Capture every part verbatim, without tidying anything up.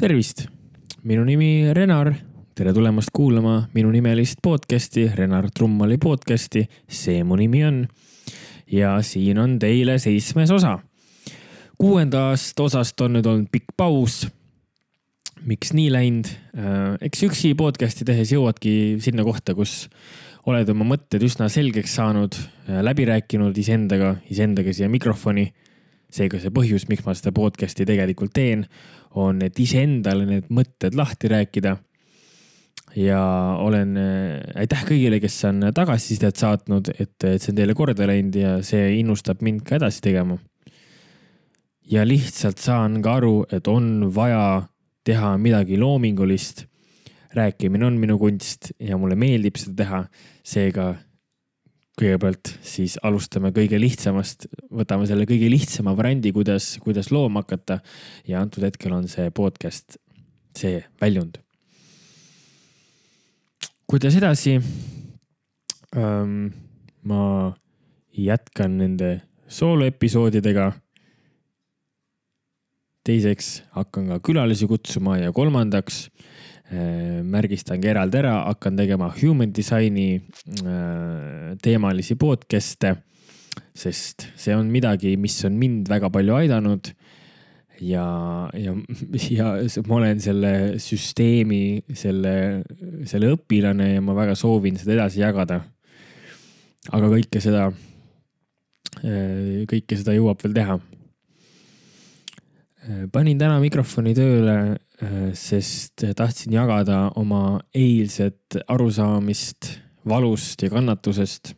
Tervist! Minu nimi Renar. Tere tulemast kuulama minu nimelist podcasti, Renar Trummali podcasti. See mu nimi on. Ja siin on teile seitsmes osa. Kuuendast osast on nüüd olnud pikk paus. Miks nii läinud? Eks üksi podcasti tehes jõuadki sinna kohta, kus oled oma mõtted üsna selgeks saanud, läbi rääkinud iseendaga, iseendaga siia mikrofoni. Seega see põhjus, miks ma seda podcasti tegelikult teen, on, et iseendale need mõtted lahti rääkida. Ja olen, aitäh kõigile, kes on tagasisidet saatnud, et, et see on teile korda läinud ja see innustab mind ka edasi tegema. Ja lihtsalt saan ka aru, et on vaja teha midagi loomingulist. Rääkimine on minu kunst ja mulle meeldib seda teha. Seega kõigepealt siis alustame kõige lihtsamast, võtame selle kõige lihtsama variandi, kuidas, kuidas looma hakata ja antud hetkel on see podcast, see väljund. Kuidas edasi? Ähm, ma jätkan nende sooloepisoodidega. Teiseks hakkan ka külalisi kutsuma ja kolmandaks märgistangi eraldi ära, hakkan tegema human designi teemalisi podcaste, sest see on midagi, mis on mind väga palju aidanud ja, ja, ja ma olen selle süsteemi, selle, selle õpilane ja ma väga soovin seda edasi jagada. Aga kõike seda, kõike seda jõuab veel teha. Panin täna mikrofoni tööle, sest tahtsin jagada oma eilset arusaamist valust ja kannatusest.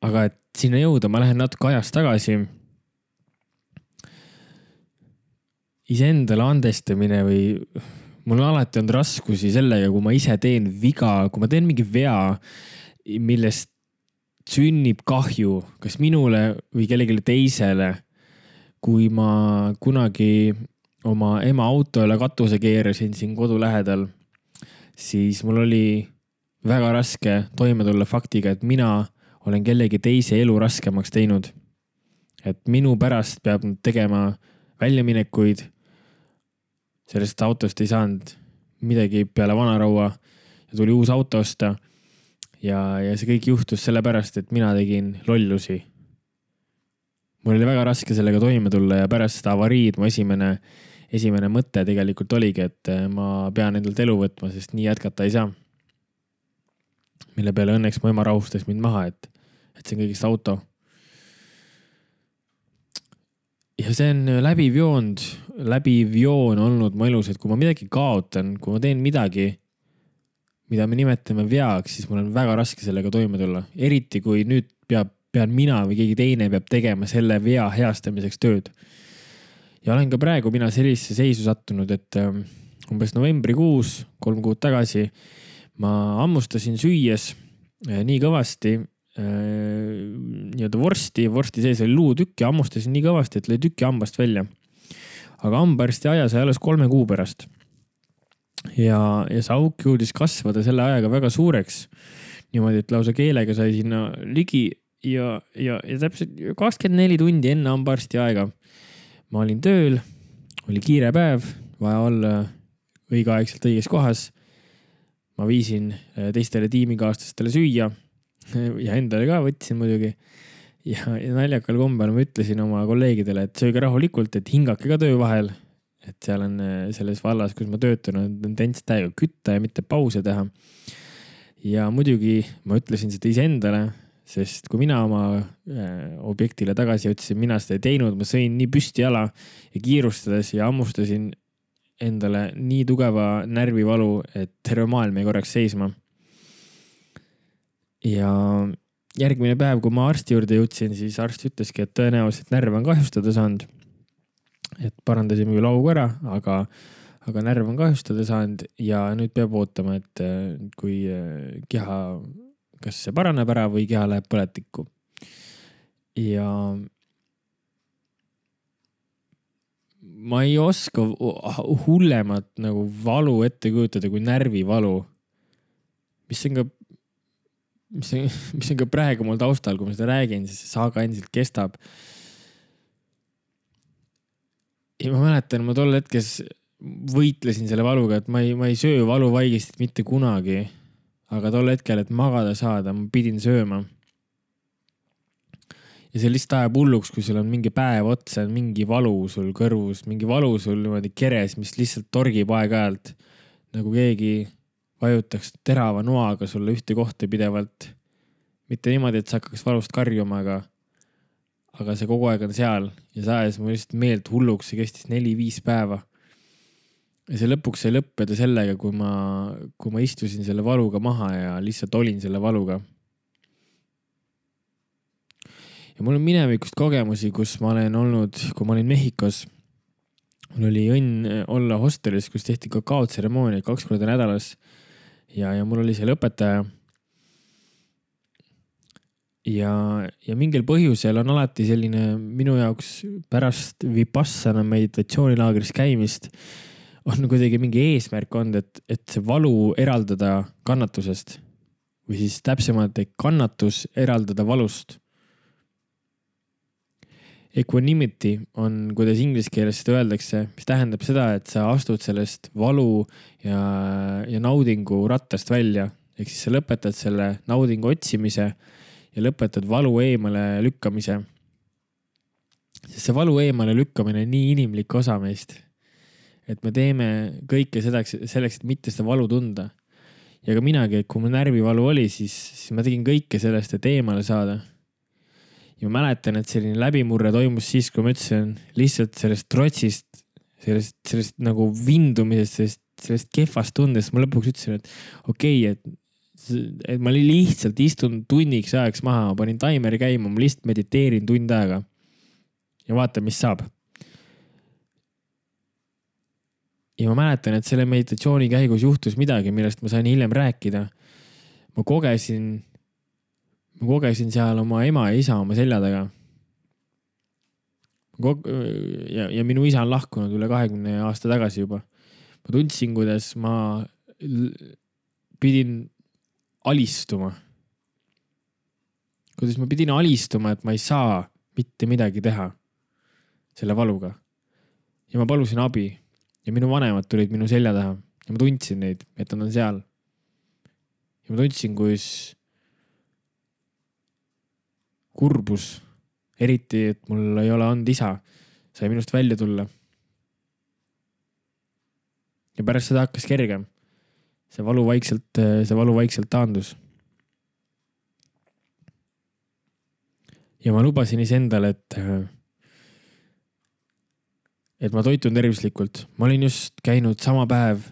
Aga et sinna jõuda, ma lähen natuke ajas tagasi. Iseendale andestamine või mul on alati olnud raskusi sellega, kui ma ise teen viga, kui ma teen mingi vea, millest sünnib kahju, kas minule või kellelegi teisele. Kui ma kunagi oma ema autole katuse keerasin siin kodu lähedal, siis mul oli väga raske toime tulla faktiga, et mina olen kellegi teise elu raskemaks teinud. Et minu pärast peab tegema väljaminekuid. Sellest autost ei saanud midagi peale vanaraua ja tuli uus auto osta. Ja, ja see kõik juhtus selle pärast, et mina tegin lollusi. Mul oli väga raske sellega toime tulla ja pärast seda avariid mu esimene, esimene mõte tegelikult oligi, et ma pean endalt elu võtma, sest nii jätkata ei saa. Mille peale õnneks mu ema rahustas mind maha, et, et see on kõigist auto. Ja see on läbiv joond, läbiv joon olnud mu elus, et kui ma midagi kaotan, kui ma teen midagi, mida me nimetame veaks, siis mul on väga raske sellega toime tulla. Eriti kui nüüd peab pean mina või keegi teine peab tegema selle vea heastamiseks tööd. Ja olen ka praegu mina sellisesse seisu sattunud, et umbes novembrikuus, kolm kuud tagasi, ma ammustasin süües nii kõvasti, nii-öelda vorsti, vorsti sees oli luutükk ja ammustasin nii kõvasti, et lõi tükki hambast välja. Aga hambarsti aja sai alles kolme kuu pärast. Ja, ja see auk jõudis kasvada selle ajaga väga suureks. Niimoodi, et lausa keelega sai sinna ligi Ja, ja, ja täpselt kakskümmend neli tundi enne hambarsti aega. Ma olin tööl, oli kiire päev, vaja olla õigeaegselt õiges kohas. Ma viisin teistele tiimikaaslastele süüa ja endale ka võtsin muidugi. Ja, ja naljakal kombel ma ütlesin oma kolleegidele, et sööge rahulikult, et hingake ka töö vahel. Et seal on selles vallas, kus ma töötan, on tendents täiega kütta ja mitte pause teha. Ja muidugi ma ütlesin seda iseendale, sest kui mina oma objektile tagasi ütlesin, mina seda ei teinud, ma sõin nii püsti jala ja kiirustades ja ammustasin endale nii tugeva närvivalu, et terve maailm ei korraks seisma. Ja järgmine päev, kui ma arsti juurde jõudsin, siis arst ütleski, et tõenäoliselt närv on kahjustada saanud. Et parandasime küll augu ära, aga, aga närv on kahjustada saanud ja nüüd peab ootama, et kui keha kas see paraneb ära või keha läheb põletikku. Ja ma ei oska hullemat nagu valu ette kujutada kui närvivalu, mis on ka, mis on, mis on ka praegu mul taustal, kui ma seda räägin, siis see saaga endiselt kestab. ja ma mäletan, ma tol hetkes võitlesin selle valuga, et ma ei, ma ei söö valuvaigistit mitte kunagi. Aga tol hetkel, et magada saada, ma pidin sööma. Ja see lihtsalt ajab hulluks, kui sul on mingi päev otsa, mingi valu sul kõrvus, mingi valu sul niimoodi keres, mis lihtsalt torgib aeg-ajalt. Nagu keegi vajutaks terava noaga sulle ühte kohta pidevalt. Mitte niimoodi, et sa hakkaks valust karjuma, aga, aga see kogu aeg on seal. Ja see ajas mu lihtsalt meelt hulluks, see kestis neli-viis päeva. Ja see lõpuks sai lõppeda sellega, kui ma, kui ma istusin selle valuga maha ja lihtsalt olin selle valuga. Ja mul on minevikust kogemusi, kus ma olen olnud, kui ma olin Mehhikos, mul oli õnn olla hostelis, kus tehti kakaotseremoonia kaks korda nädalas ja, ja mul oli seal õpetaja. Ja, ja mingil põhjusel on alati selline minu jaoks pärast vipassana meditatsioonilaagris käimist on kuidagi mingi eesmärk olnud, et, et see valu eraldada kannatusest või siis täpsemalt kannatus eraldada valust. Equanimity on, kuidas inglise keeles seda öeldakse, mis tähendab seda, et sa astud sellest valu ja, ja naudingu rattast välja. Ehk siis sa lõpetad selle naudingu otsimise ja lõpetad valu eemale lükkamise. Sest see valu eemale lükkamine on nii inimlik osa meist, et me teeme kõike selleks, selleks, et mitte seda valu tunda. Ja ka minagi, kui mul närvivalu oli, siis, siis ma tegin kõike sellest, et eemale saada. Ja ma mäletan, et selline läbimurre toimus siis, kui ma ütlesin lihtsalt sellest trotsist, sellest, sellest nagu vindumisest, sellest, sellest kehvast tundest. Ma lõpuks ütlesin, et okei, okay, et, et ma lihtsalt istun tunniks ajaks maha, ma panin taimeri käima, ma lihtsalt mediteerin tund aega ja vaatan, mis saab. Ja ma mäletan, et selle meditatsiooni käigus juhtus midagi, millest ma sain hiljem rääkida. Ma kogesin Ma kogesin seal oma ema ja isa oma selja taga. Ja, ja minu isa on lahkunud üle kahekümne aasta tagasi juba. Ma tundsin, kuidas ma pidin alistuma. Kuidas ma pidin alistuma, et ma ei saa mitte midagi teha selle valuga. Ja ma palusin abi. Ja minu vanemad tulid minu selja taha. Ja ma tundsin neid, et nad on seal. Ja ma tundsin, kus kurbus, eriti, et mul ei ole olnud isa, sai minust välja tulla. Ja pärast seda hakkas kergem. See valu vaikselt, see valu vaikselt taandus. Ja ma lubasin iseendale, et, et ma toitun tervislikult. Ma olin just käinud sama päev,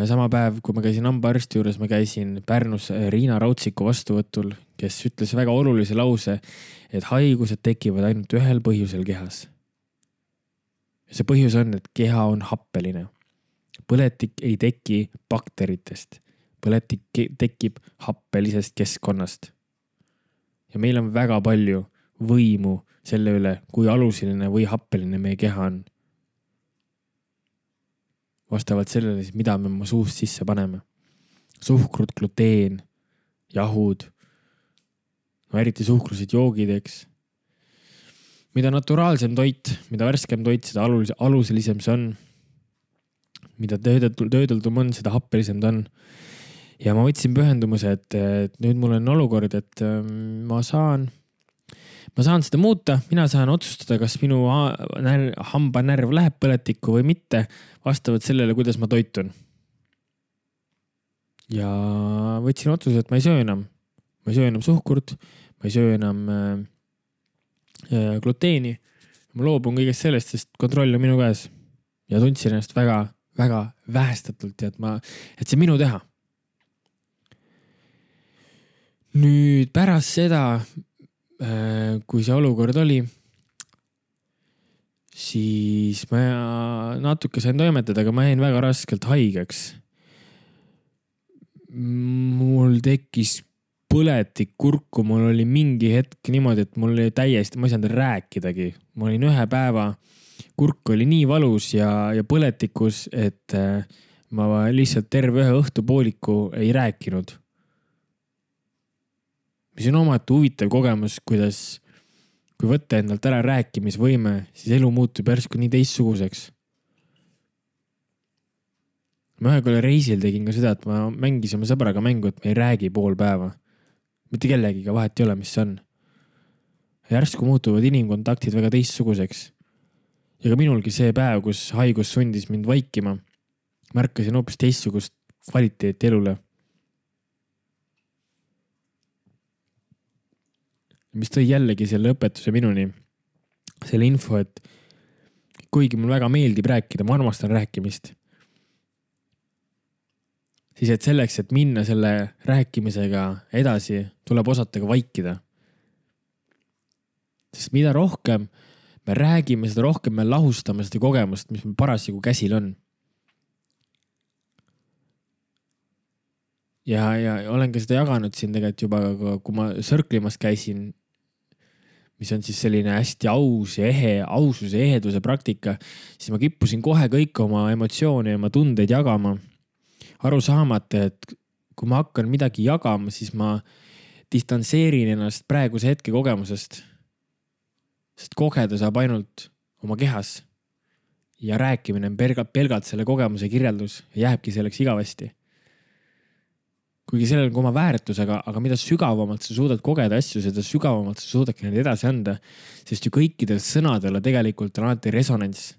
sama päev, kui ma käisin hambaarsti juures, ma käisin Pärnus Riina Rautsiku vastuvõtul, kes ütles väga olulise lause, et haigused tekivad ainult ühel põhjusel kehas. Ja see põhjus on, et keha on happeline. Põletik ei teki bakteritest. Põletik tekib happelisest keskkonnast. Ja meil on väga palju võimu selle üle, kui alusiline või happeline meie keha on. Vastavalt sellele, mida me oma suust sisse paneme. Suhkrut, gluteen, jahud, no eriti suhkrused joogid, eks. Mida naturaalsem toit, mida värskem toit, seda alus, aluselisem see on. Mida töödeldum on, seda happelisem ta on. Ja ma võtsin pühendumuse, et, et nüüd mul on olukord, et ma saan, ma saan seda muuta. Mina saan otsustada, kas minu hambanärv läheb põletikku või mitte, vastavalt sellele, kuidas ma toitun. Ja võtsin otsuse, et ma ei söö enam. Ma ei söö enam suhkurt, ma ei söö enam äh, gluteeni. Ma loobun kõigest sellest, sest kontroll on minu käes. Ja tundsin ennast väga, väga vähestatult, et, ma, et see minu teha. Nüüd pärast seda, äh, kui see olukord oli, siis ma natuke sain toimetada, aga ma jäin väga raskelt haigeks. Mul tekkis põletik kurku, mul oli mingi hetk niimoodi, et mul oli täiesti, ma ei saanud rääkidagi. Ma olin ühe päeva, kurk oli nii valus ja, ja põletikus, et ma lihtsalt terve ühe õhtupooliku ei rääkinud. Mis on omati huvitav kogemus, kuidas, kui võtta endalt ära rääkimisvõime, siis elu muutub järsku nii teistsuguseks. Ma ühe korra reisil tegin ka seda, et ma mängisin oma sõbraga mängu, et me ei räägi pool päeva. Mitte kellegiga vahet ei ole, mis see on. Järsku muutuvad inimkontaktid väga teistsuguseks. Ja ka minulgi see päev, kus haigus sundis mind vaikima, märkasin hoopis teistsugust kvaliteeti elule. Mis tõi jällegi selle õpetuse minuni, selle info, et kuigi mul väga meeldib rääkida, ma armastan rääkimist, siis et selleks, et minna selle rääkimisega edasi, tuleb osata ka vaikida. Sest mida rohkem me räägime, seda rohkem me lahustame seda kogemust, mis meil parasjagu käsil on. Ja, ja olen ka seda jaganud siin tegelikult juba, kui ma sõrklimas käisin, mis on siis selline hästi aus ja ehe, aususe ja eheduse praktika, siis ma kippusin kohe kõik oma emotsioone ja oma tundeid jagama. Aru saamata, et kui ma hakkan midagi jagama, siis ma distantseerin ennast praeguse hetke kogemusest. Sest kogeda saab ainult oma kehas. Ja rääkimine on pelgalt, pelgalt selle kogemuse kirjeldus ja jääbki selleks igavesti. Kuigi sellel on oma väärtus, aga, aga mida sügavamalt sa suudad kogeda asju, seda sügavamalt sa suudadki need edasi anda. Sest ju kõikidel sõnadel tegelikult on alati resonants.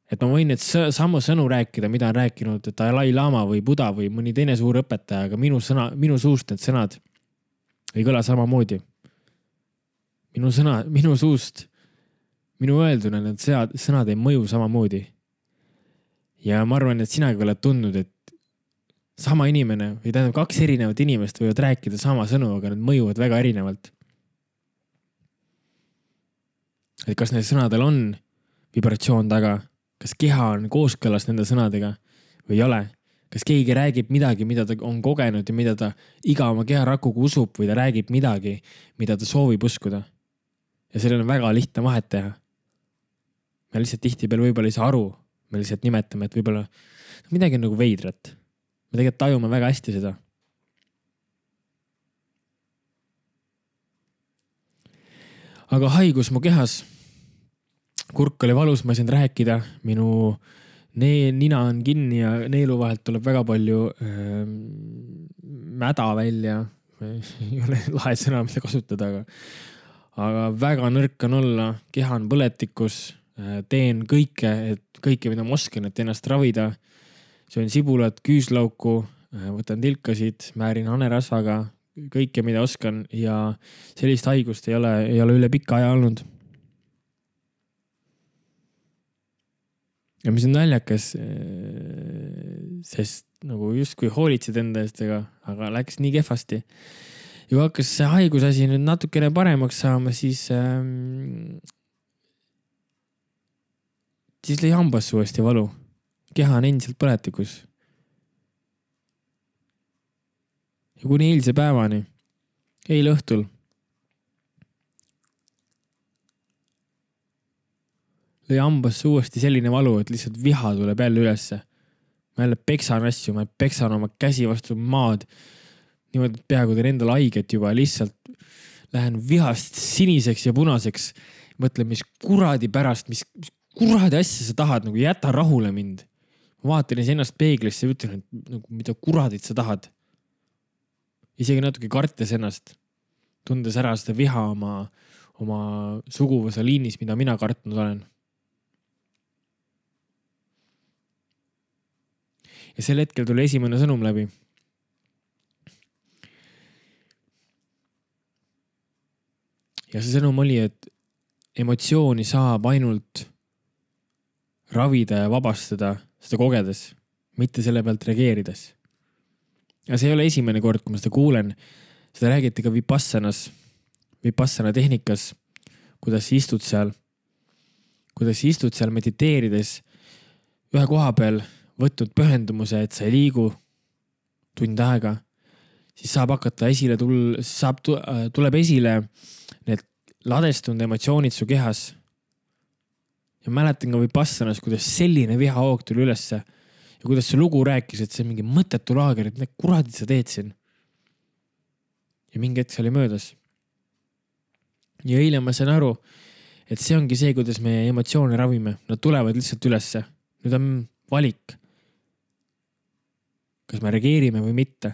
Et ma võin need samu sõnu rääkida, mida on rääkinud Dalai Lama või Buddha või mõni teine suur õpetaja, aga minu, sõna, minu suust need sõnad ei kõla samamoodi. Minu, sõna, minu suust, minu öelduna need sõnad ei mõju samamoodi. Ja ma arvan, et sinagi oled tundnud, et sama inimene või tähendab kaks erinevat inimest võivad rääkida sama sõnu, aga need mõjuvad väga erinevalt. Et kas need sõnadel on vibratsioon taga? Kas keha on kooskõlas nende sõnadega või ei ole? Kas keegi räägib midagi, mida ta on kogenud ja mida ta iga oma keha rakuga usub või ta räägib midagi, mida ta soovib uskuda? Ja sellel on väga lihtne vahet teha. Me lihtsalt tihti peal võib-olla ei saa aru. Me lihtsalt nimetame, et võib-olla midagi on nagu veidrat. Me tegelikult tajume väga hästi seda. Aga haigus mu kehas. Kurk oli valus, ma ei saanud rääkida, minu ne- nina on kinni ja neelu vahelt tuleb väga palju äh, mäda välja. Ei ole lahe sõna, mida kasutada, aga, aga väga nõrk on olla, keha on põletikus, äh, teen kõike, et kõike, mida ma oskan, et ennast ravida. Söön sibulat, küüslauku, äh, võtan tilkasid, määrin hanerasvaga, kõike, mida oskan ja sellist haigust ei ole, ei ole üle pika aja olnud. Ja mis on naljakas, sest nagu justkui hoolitsid enda eest, aga läks nii kehvasti. Ja kui hakkas see haigusasi nüüd natukene paremaks saama, siis, ähm, siis lõi hambas uuesti valu. Keha on endiselt põletikus. Ja kuni eilse päevani, eile õhtul, lõi hambasse uuesti selline valu, et lihtsalt viha tuleb jälle ülesse. Ma jälle peksan asju, ma peksan oma käsi vastu maad. Niimoodi peaaegu teen endale haiget juba, lihtsalt lähen vihast siniseks ja punaseks. Mõtlen, mis kuradi pärast, mis, mis kuradi asja sa tahad, nagu jäta rahule mind. Ma vaatan ennast peeglisse ja ütlen, et nagu, mida kuradit sa tahad. Isegi natuke kartes ennast, tundes ära seda viha oma, oma suguvõsa liinis, mida mina kartnud olen. Ja sel hetkel tuli esimene sõnum läbi. Ja see sõnum oli, et emotsiooni saab ainult ravida ja vabastada seda kogedes, mitte selle pealt reageerides. Ja see ei ole esimene kord, kui ma seda kuulen. Seda räägiti ka Vipassanas, Vipassana tehnikas, kuidas istud seal, kuidas istud seal mediteerides ühe koha peal võtnud pühendumuse, et sa ei liigu tund aega, siis saab hakata esile tul-, saab, tuleb esile need ladestunud emotsioonid su kehas. Ja mäletan ka Vipassanas, kuidas selline vihahoog tuli ülesse ja kuidas see lugu rääkis, et see on mingi mõttetu laager, et need kuradid sa teed siin. Ja mingi hetk see oli möödas. ja eile ma sain aru, et see ongi see, kuidas me emotsioone ravime. Nad tulevad lihtsalt ülesse. Nüüd on valik. Kas me reageerime või mitte.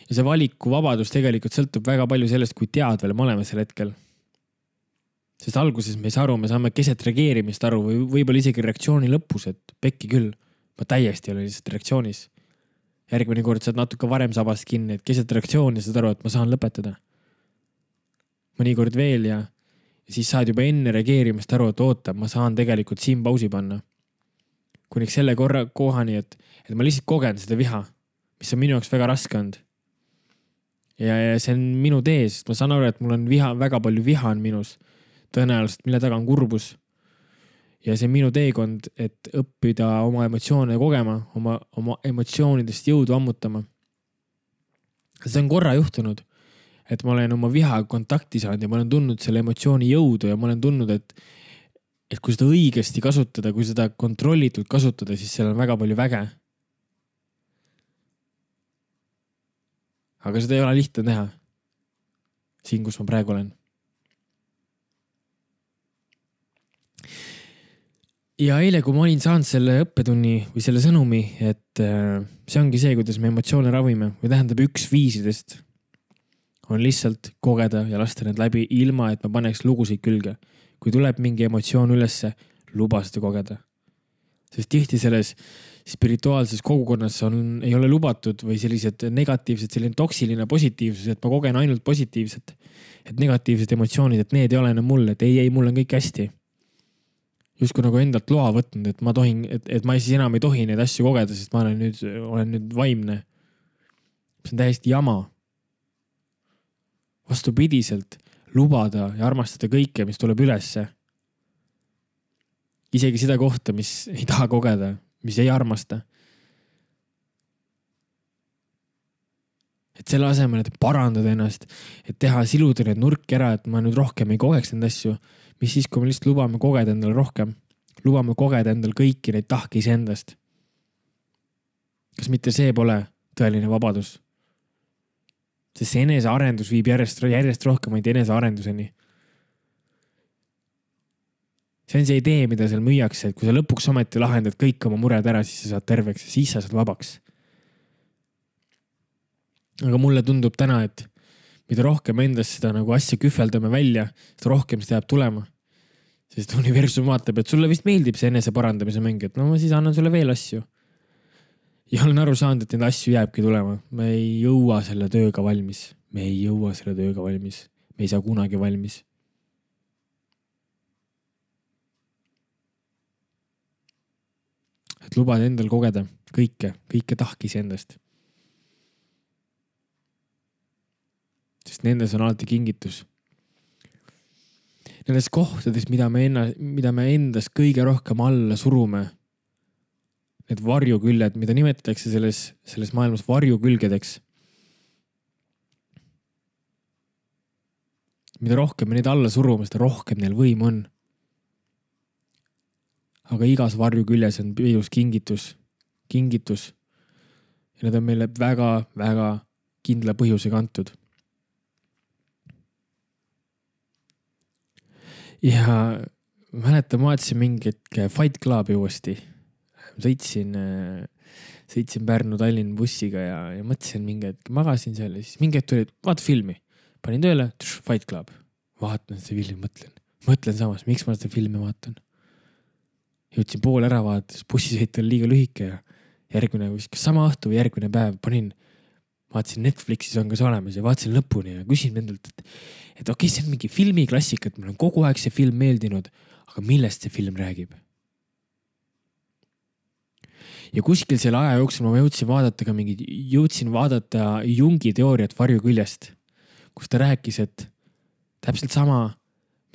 Ja see valiku vabadus tegelikult sõltub väga palju sellest, kui teadvel me oleme sel hetkel. Sest alguses me ei saa aru, me saame keset reageerimist aru või võib-olla isegi reaktsiooni lõpus, et pekki küll. Ma täiesti olen lihtsalt reaktsioonis. Järgmine kord saad natuke varem sabast kinni, et keset reaktsiooni saad aru, et ma saan lõpetada. Mõnikord veel ja Ja siis saad juba enne reageerimist aru, et oota, ma saan tegelikult siin pausi panna. Kuniks selle korra kohani, et, et ma lihtsalt kogen seda viha, mis on minu jaoks väga raske olnud. Ja, ja see on minu tee, sest ma saan aru, et mul on viha, väga palju viha on minus. Tõenäoliselt, mille taga on kurbus. Ja see on minu teekond, et õppida oma emotsioone kogema, oma, oma emotsioonidest jõudu ammutama. See on korra juhtunud. Et ma olen oma viha kontakti saanud ja ma olen tundnud selle emotsiooni jõudu ja ma olen tundnud, et, et kui seda õigesti kasutada, kui seda kontrollitult kasutada, siis seal on väga palju väge. Aga seda ei ole lihtne teha. Siin, kus ma praegu olen. Ja eile, kui ma olin saanud selle õppetunni või selle sõnumi, et see ongi see, kuidas me emotsioone ravime või tähendab üks viisidest on lihtsalt kogeda ja lasta need läbi ilma, et ma paneks lugusid külge. Kui tuleb mingi emotsioon ülesse, luba seda kogeda. Sest tihti selles spirituaalses kogukonnas on, ei ole lubatud või sellised negatiivsed, selline toksiline positiivsus, et ma kogen ainult positiivset. Et negatiivsed emotsioonid, et need ei ole enam mul, et ei, ei, mul on kõik hästi. Justkui nagu endalt loa võtnud, et ma tohin, et, et ma siis enam ei tohi neid asju kogeda, sest ma olen nüüd, olen nüüd vaimne. See on täiesti jama. Vastupidiselt lubada ja armastada kõike, mis tuleb ülesse. Isegi seda kohta, mis ei taha kogeda, mis ei armasta. Et selle asemel, et parandada ennast, et teha siluda need nurki ära, et ma nüüd rohkem ei kogeks neid asju, mis siis, kui me lihtsalt lubame kogeda endale rohkem, lubame kogeda endale kõiki neid tahki iseendast. Kas mitte see pole tõeline vabadus? Sest see enesearendus viib järjest, järjest rohkemaid enesearenduseni. See on see idee, mida seal müüakse, et kui sa lõpuks ometi lahendad kõik oma mured ära, siis sa saad terveks ja siis sa saad vabaks. Aga mulle tundub täna, et mida rohkem endast seda nagu asja kühveldame välja, seda rohkem seda jääb tulema. Sest universum vaatab, et sulle vist meeldib see enese parandamise mäng, et no ma siis annan sulle veel asju. Ja olen aru saanud, et need asju jääbki tulema. Me ei jõua selle tööga valmis. Me ei jõua selle tööga valmis. Me ei saa kunagi valmis. Et lubada endal kogeda kõike, kõike tahkis endast. Sest nendes on alati kingitus. Nendes kohtades, mida me, enna, mida me endas kõige rohkem alla surume, need varjuküljed, mida nimetatakse selles, selles maailmas varjukülgedeks. Mida rohkem me neid alla surume, seda rohkem neil võim on. Aga igas varjuküljes on peidus kingitus. Kingitus. Ja need on meile väga, väga kindla põhjusega antud. Ja mäletan, ma vaatasin mingit Fight Clubi uuesti. Sõitsin, sõitsin Pärnu Tallinn bussiga ja, ja mõtlesin mingi, et magasin seal ja siis mingi, et tuli, vaata filmi. Panin tööle, tš, Fight Club. Vaatan seda filmi, mõtlen. Mõtlen samas, miks ma seda filmi vaatan. Jõudsin pool ära vaadates, bussisõit oli liiga lühike ja järgmine, kas sama õhtu või järgmine päev panin, vaatasin Netflixis on ka see olemas ja vaatasin lõpuni ja küsin endalt, et, et okei, see on mingi filmiklassik, et mul on kogu aeg see film meeldinud, aga millest see film räägib? Ja kuskil selle aja jooksul ma jõudsin vaadata ka mingi, jõudsin vaadata Jungi teooriat varjuküljest, kus ta rääkis, et täpselt sama,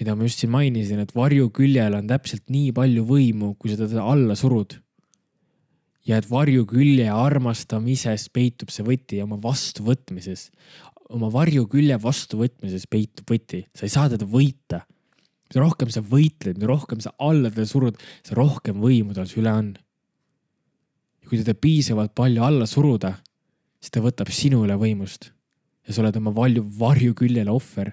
mida ma just siin mainisin, et varjuküljel on täpselt nii palju võimu, kui seda alla surud. Ja et varjukülje armastamises peitub see võti oma vastuvõtmises. Oma varjukülje vastuvõtmises peitub võti. Sa ei saa teda võita. Mida rohkem sa võitled, mida rohkem sa alla teda surud, sa rohkem võimu tal üle on. Ja kui teda piisavalt palju alla suruda, siis ta võtab sinu üle võimust. Ja sa oled oma varjuküljele ohver.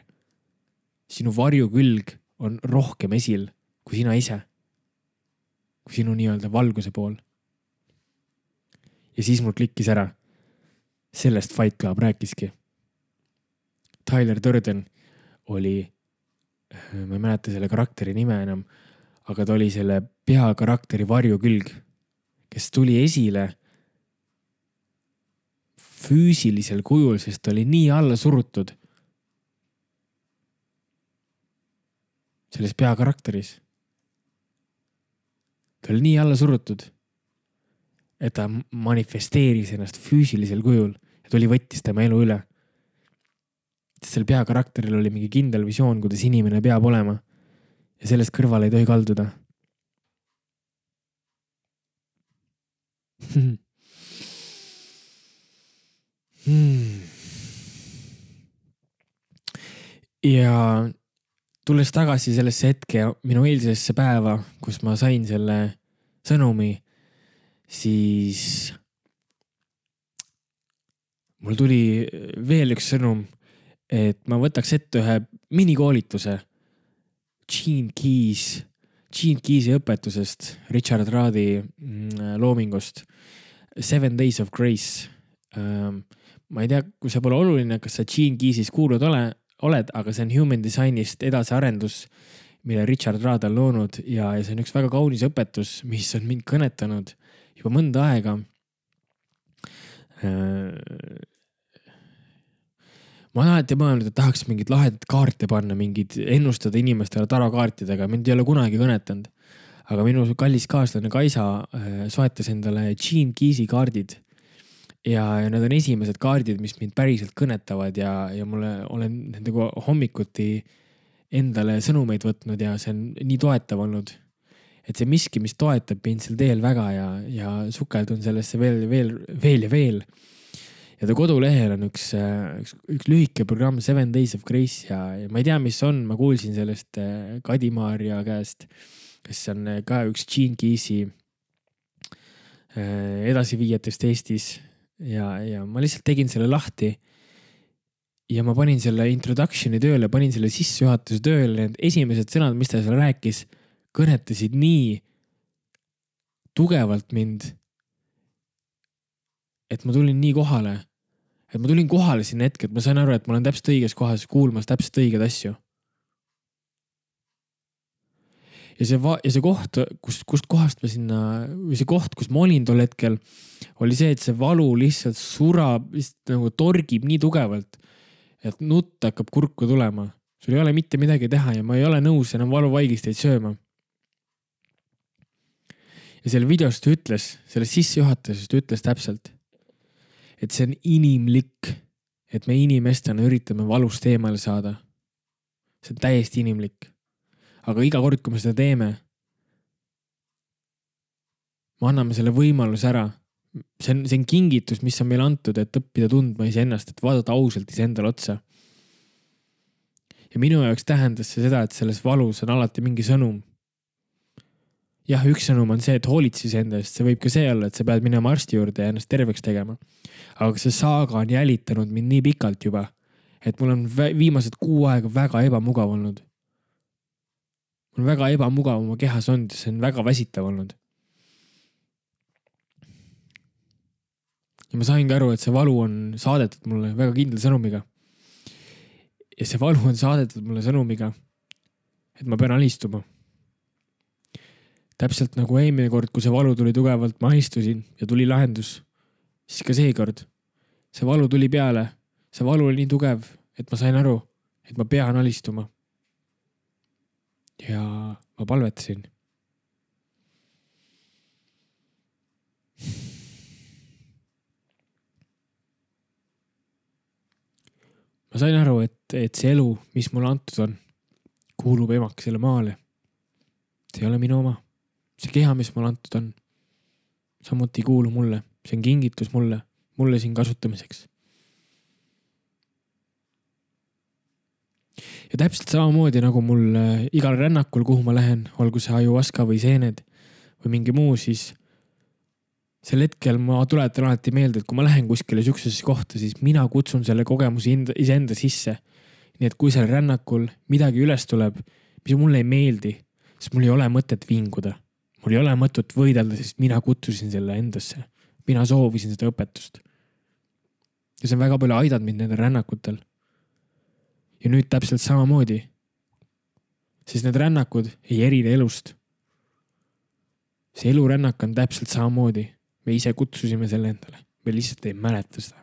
sinu varjukülg on rohkem esil kui sina ise. Kui sinu nii-öelda valguse pool. Ja siis mul klikkis ära. Sellest Fight Club rääkiski. Tyler Durden oli, ma ei mäleta selle karakteri nime enam, aga ta oli selle peakarakteri varjukülg, kes tuli esile füüsilisel kujul, sest ta oli nii alla surutud selles peakarakteris. Ta oli nii alla surutud, et ta manifesteeris ennast füüsilisel kujul ja tuli võttis tema elu üle. Sel peakarakteril oli mingi kindel visioon, kuidas inimene peab olema ja sellest kõrvale ei tohi kalduda. Hmm. Ja tulles tagasi sellesse hetke minu eilsesse päeva, kus ma sain selle sõnumi, siis mul tuli veel üks sõnum, et ma võtaks ette ühe minikoolituse Gene Keys, Gene Keysi õpetusest, Richard Radi loomingust, Seven Days of Grace. Ma ei tea, kui see pole oluline, kas sa Gene Keysis kuulud ole, oled, aga see on Human Designist edasiarendus, mille Richard Rad on loonud ja, ja see on üks väga kaunis õpetus, mis on mind kõnetanud juba mõnda aega. Ma olen alati mõelnud, et tahaks mingid lahedat kaarte panna, mingid ennustada inimestele tarokaartidega. Mind ei ole kunagi kõnetanud. Aga minu kallis kaaslane Kaisa soetas endale Gene Keysi kaardid. Ja, ja need on esimesed kaardid, mis mind päriselt kõnetavad ja, ja mulle olen nendega hommikuti endale sõnumeid võtnud ja see on nii toetav olnud. Et see miski, mis toetab mind sel teel väga ja, ja sukeldun sellesse veel, veel, veel ja veel. Ja ta kodulehel on üks, üks, üks lühike programm Seven Days of Grace ja, ja ma ei tea, mis on, ma kuulsin sellest Kadi-Maarja käest, kes on ka üks Gene Keysi edasiviijatest Eestis. Ja, ja ma lihtsalt tegin selle lahti ja ma panin selle introductioni tööle, panin selle sissejuhatuse tööle. Need esimesed sõnad, mis ta seal rääkis, kõnetasid nii tugevalt mind, et ma tulin nii kohale, et ma tulin kohale sinna hetke, et ma sain aru, et ma olen täpselt õiges kohas kuulmas täpselt õiged asju. Ja see, va- ja see koht, kust, kust kohast ma sinna, või see koht, kus ma olin tol hetkel, oli see, et see valu lihtsalt surab, lihtsalt nagu torgib nii tugevalt, et nutt hakkab kurku tulema. Sul ei ole mitte midagi teha ja ma ei ole nõus enam valuvaigisteid sööma. Ja selle videost ütles, selle sissejuhatusest ütles täpselt, et see on inimlik, et me inimestena üritame valust eemale saada. See on täiesti inimlik. Aga iga kord, kui me seda teeme, me anname selle võimaluse ära. See on, see on kingitus, mis on meile antud, et õppida tundma iseennast, et vaadata ausalt iseendale otsa. Ja minu jaoks tähendas see seda, et selles valus on alati mingi sõnum. Jah, üks sõnum on see, et hoolitsi iseendast. See võib ka see olla, et sa pead minema arsti juurde ja ennast terveks tegema. Aga see saaga on jälitanud mind nii pikalt juba, et mul on viimased kuu aega väga ebamugav olnud. Mul on väga ebamugav oma kehas olnud, see on väga väsitav olnud. Ja ma saingi aru, et see valu on saadetud mulle väga kindla sõnumiga. Ja see valu on saadetud mulle sõnumiga, et ma pean alistuma. Täpselt nagu eelmine kord, kui see valu tuli tugevalt, ma istusin ja tuli lahendus. Siis ka seekord. See valu tuli peale. See valu oli nii tugev, et ma sain aru, et ma pean alistuma. Ja ma palvetasin. Ma sain aru, et, et see elu, mis mulle antud on, kuulub emakesele maale. See ei ole minu oma. See keha, mis mulle antud on, samuti ei kuulu mulle. See on kingitus mulle, mulle siin kasutamiseks. Ja täpselt samamoodi nagu mul igal rännakul, kuhu ma lähen, olgu see ajuaska või seened või mingi muu, siis sel hetkel ma tuletan alati meelde, et kui ma lähen kuskile süksusesse kohta, siis mina kutsun selle kogemuse iseenda sisse. nii et kui seal rännakul midagi üles tuleb, mis mulle ei meeldi, siis mul ei ole mõtet vinguda. Mul ei ole mõtet võidelda, sest mina kutsusin selle endasse. Mina soovisin seda õpetust. Ja see on väga palju aidanud mind nendel rännakutel. Ja nüüd täpselt samamoodi. Sest need rännakud ei erine elust. See elurännak on täpselt samamoodi. Me ise kutsusime selle endale. Me lihtsalt ei mäleta seda.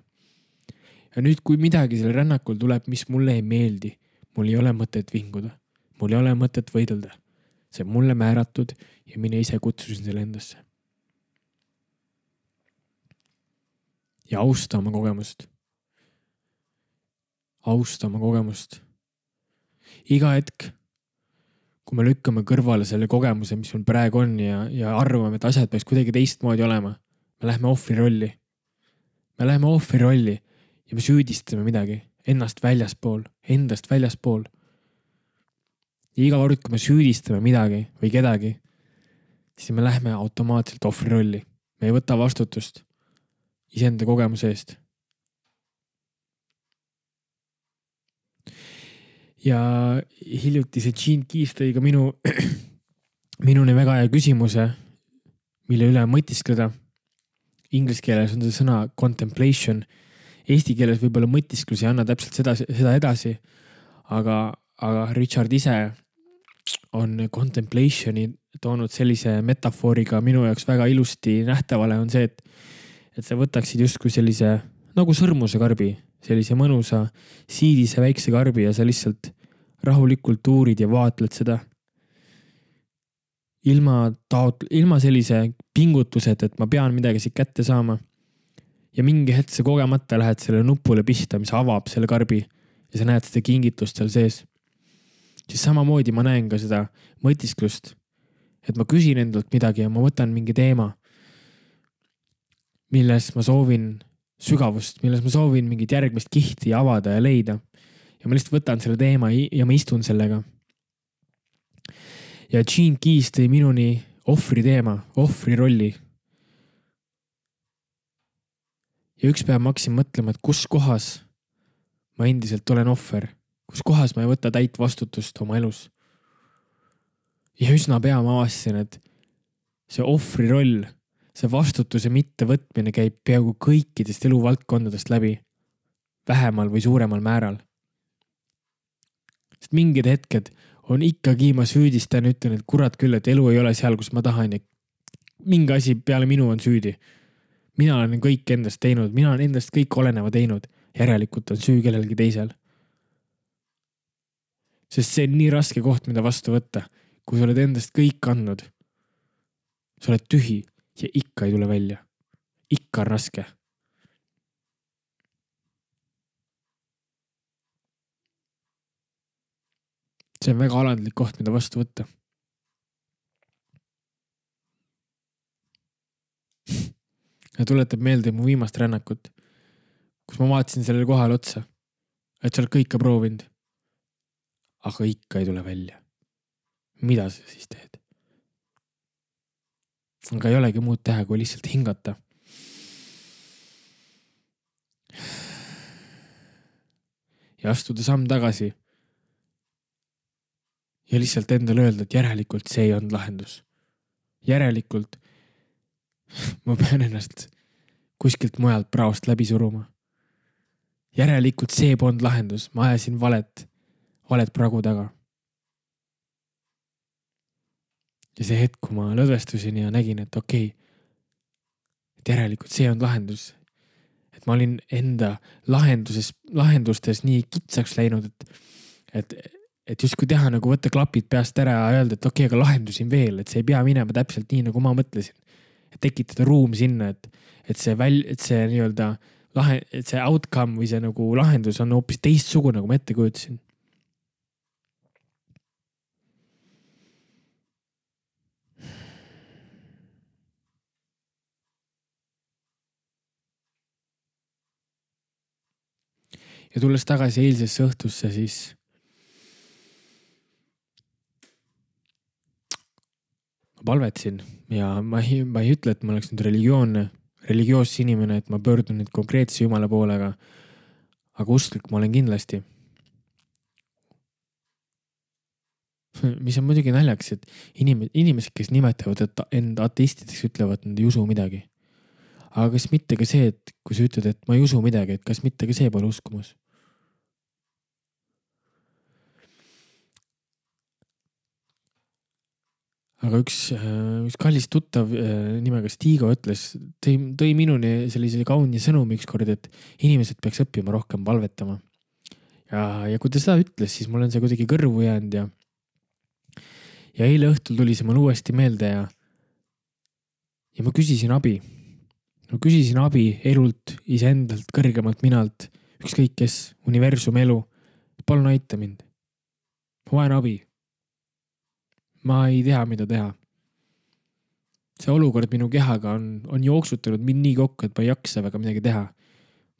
Ja nüüd, kui midagi selle rännakul tuleb, mis mulle ei meeldi, mul ei ole mõtet vinguda. Mul ei ole mõtet võidelda. See on mulle määratud ja mina ise kutsusin selle endasse. Ja austa oma kogemust. Austa oma kogemust. Iga hetk, kui me lükkame kõrvale selle kogemuse, mis meil praegu on ja, ja arvame, et asjad peaks kuidagi teistmoodi olema, me läheme ohvri rolli. Me läheme ohvri rolli ja me süüdistame midagi ennast väljaspool, endast väljaspool. Ja iga kord, kui me süüdistame midagi või kedagi, siis me läheme automaatselt ohvri rolli. Me ei võta vastutust iseenda kogemuse eest. Ja hiljuti see Gene Keys tõi ka minu, minuni väga hea küsimuse, mille üle mõtiskleda. Inglis keeles on see sõna contemplation. Eesti keeles võib-olla mõtisklus ei anna täpselt seda, seda edasi, aga, aga Richard ise on contemplationi toonud sellise metafooriga minu jaoks väga ilusti nähtavale on see, et, et sa võtaksid justkui sellise nagu sõrmuse karbi, sellise mõnusa siidise väikse karbi ja sa lihtsalt rahulikult uurid ja vaatled seda. Ilma, taot, ilma sellise pingutused, et ma pean midagi siit kätte saama. Ja mingi hetk sa kogemata lähed selle nupule pista, mis avab selle karbi ja sa näed seda kingitust seal sees. Siis samamoodi ma näen ka seda mõtisklust, et ma küsin endalt midagi ja ma võtan mingi teema, milles ma soovin sügavust, milles ma soovin mingit järgmist kihti avada ja leida. Ja ma lihtsalt võtan selle teema ja ma istun sellega. Ja Gene Keys tõi minuni ohvri teema, ohvri rolli. Ja üks päev ma hakkasin mõtlema, et kus kohas ma endiselt olen ohver. Kus kohas ma ei võta täit vastutust oma elus. Ja üsna pea ma avastasin, et see ohvri roll, see vastutuse mitte võtmine käib peaaegu kõikidest eluvaldkondadest läbi, vähemal või suuremal määral. Sest mingid hetked on ikkagi, ma süüdistan, ütlen, et kurat küll, et elu ei ole seal, kus ma tahan ja mingi asi peale minu on süüdi. Mina olen kõik endast teinud, mina olen endast kõik oleneva teinud, järelikult on süü kellelgi teisel. Sest see on nii raske koht, mida vastu võtta, kui sa oled endast kõik andnud. Sa oled tühi ja ikka ei tule välja. Ikka on raske. See on väga alandlik koht, mida vastu võtta. Ja tuletab meelde mu viimast rännakut, kus ma vaatasin sellele kohale otsa, et sa oled kõike proovinud. Aga ikka ei tule välja. Mida sa siis teed? Aga ei olegi muud teha, kui lihtsalt hingata. Ja astuda samm tagasi. Ja lihtsalt endale öelda, et järelikult see ei olnud lahendus. Järelikult ma pean ennast kuskilt mujalt praost läbi suruma. Järelikult see polnud lahendus. Ma ajasin valet. Valed pragu taga. Ja see hetk, kui ma lõdvestusin ja nägin, et okei, et järelikult see on lahendus. Et ma olin enda lahenduses, lahendustes nii kitsaks läinud, et, et, et just kui teha nagu võtta klapid peast ära ja öelda, et okei, aga lahendusin veel, et see ei pea minema täpselt nii, nagu ma mõtlesin. Et tekitada ruum sinna, et, et see, väl, et see nii-öelda lahe, et see outcome või see nagu lahendus on hoopis teistsugune, nagu ma ette kujutasin. Ja tulles tagasi eilsesse õhtusse, siis ma palvetsin ja ma ei, ma ei ütle, et ma oleks nüüd religioonne, religioossi inimene, et ma pöördun nüüd konkreetse Jumala poolega, aga usklik ma olen kindlasti. mis on muidugi naljaks, et inim- inimesed, kes nimetavad et end ateistideks, ütlevad, et nad ei usu midagi. Aga kas mitte ka see, et kui sa ütled, et ma ei usu midagi, et kas mitte ka see pole uskumus? Aga üks, üks kallis tuttav nimega Stigo ütles, tõi, tõi minuni sellise kauni sõnumi ükskord, et inimesed peaks õppima rohkem palvetama. Ja, ja kui ta seda ütles, siis mul on see kuidagi kõrvu jäänud ja, ja eile õhtul tuli see mul uuesti meelde ja, ja ma küsisin abi. Ma küsisin abi elult, iseendalt, kõrgemalt minalt, ükskõik kes, universum, elu. Palun aita mind. Ma vajan abi. Ma ei tea, mida teha. See olukord minu kehaga on, on jooksutanud mind nii kokku, et ma ei jaksa väga midagi teha.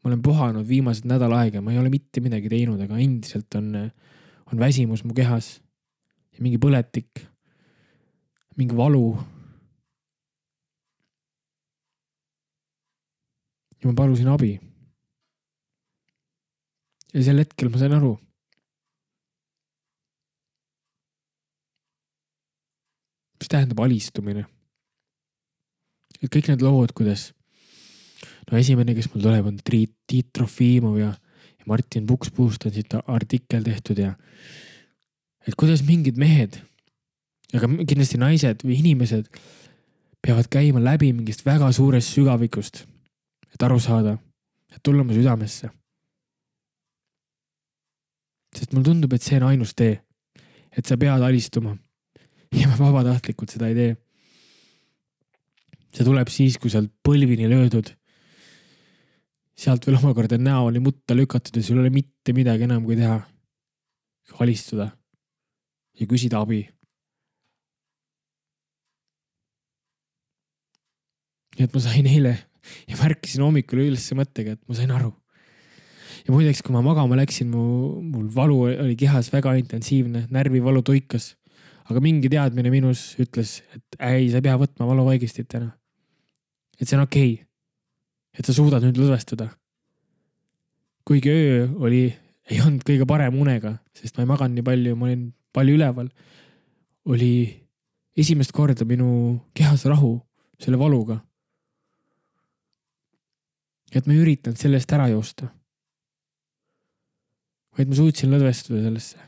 Ma olen puhanud viimased nädal aega, ma ei ole mitte midagi teinud, aga endiselt on, on väsimus mu kehas. Ja mingi põletik, mingi valu. Ja ma palusin abi. Ja sel hetkel ma sain aru. Mis tähendab alistumine? Et kõik need lood, kuidas no esimene, kes mul tuleb, on Tiit, Tiit Trofimov ja, ja Martin Pukspuust on siit artikkel tehtud ja et kuidas mingid mehed, aga kindlasti naised või inimesed peavad käima läbi mingist väga suurest sügavikust, et aru saada, et tulla mu südamesse. Sest mul tundub, et see on ainus tee, et sa pead alistuma ja ma vabatahtlikult seda ei tee. See tuleb siis, kui sa oled põlvini löödud. Sealt veel omakorda näoli mutta lükatud ja sul ei ole mitte midagi enam kui teha. Alistuda ja küsida abi. Nii et ma sain eile ja märkisin hommikul üles mõttega, et ma sain aru. Ja muideks, kui ma magama läksin, mu, mul valu oli kehas väga intensiivne, närvivalu tuikas. Aga mingi teadmine minus ütles, et ei, sa ei pea võtma valuvaigistit täna. Et see on okei. Et sa suudad nüüd lõdvestuda. Kuigi öö oli, ei olnud kõige parem unega, sest ma ei maganud nii palju, ma olin palju üleval. Oli esimest korda minu kehas rahu selle valuga. Et ma ei üritanud sellest ära joosta. Vaid ma suutsin lõdvestuda sellesse.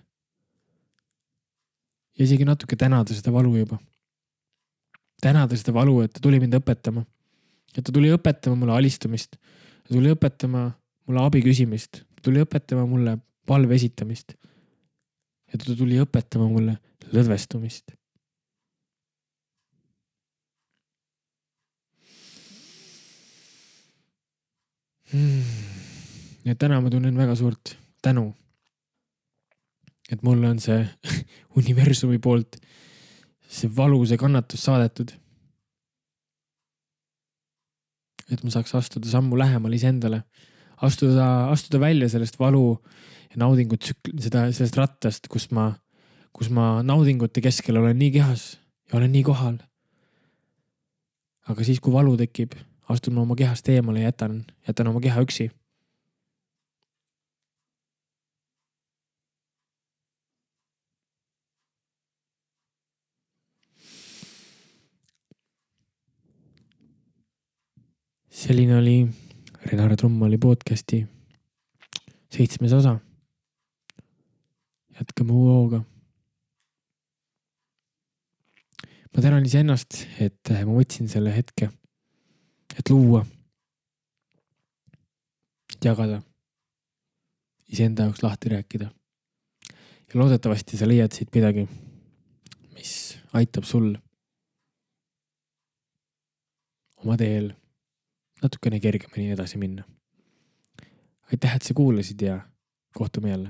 Ja isegi natuke tänada seda valu juba. Tänada seda valu, et ta tuli mind õpetama. Et ta tuli õpetama mulle alistumist. Ta tuli õpetama mulle abi küsimist. Ta tuli õpetama mulle palve esitamist. Ja ta tuli õpetama mulle lõdvestumist. Hmm. Ja täna ma tunnen väga suurt tänu. Et mulle on see universumi poolt see valu, see kannatus saadetud. Et ma saaks astuda sammu lähemal iseendale. Astuda, astuda välja sellest valu ja naudingut seda, sellest rattast, kus ma, kus ma naudingute keskel olen nii kehas ja olen nii kohal. Aga siis, kui valu tekib, astun ma oma kehast eemale ja jätan, jätan oma keha üksi. Selline oli Renar Trummali podcasti seitsmes osa. Jätkame uue hooga. Ma tänan iseennast, et ma võtsin selle hetke, et luua, et jagada, iseenda jaoks lahti rääkida. Ja loodetavasti sa leiad siit midagi, mis aitab sul oma teel natukene kergemini edasi minna. Aitäh, et sa kuulasid ja kohtume jälle.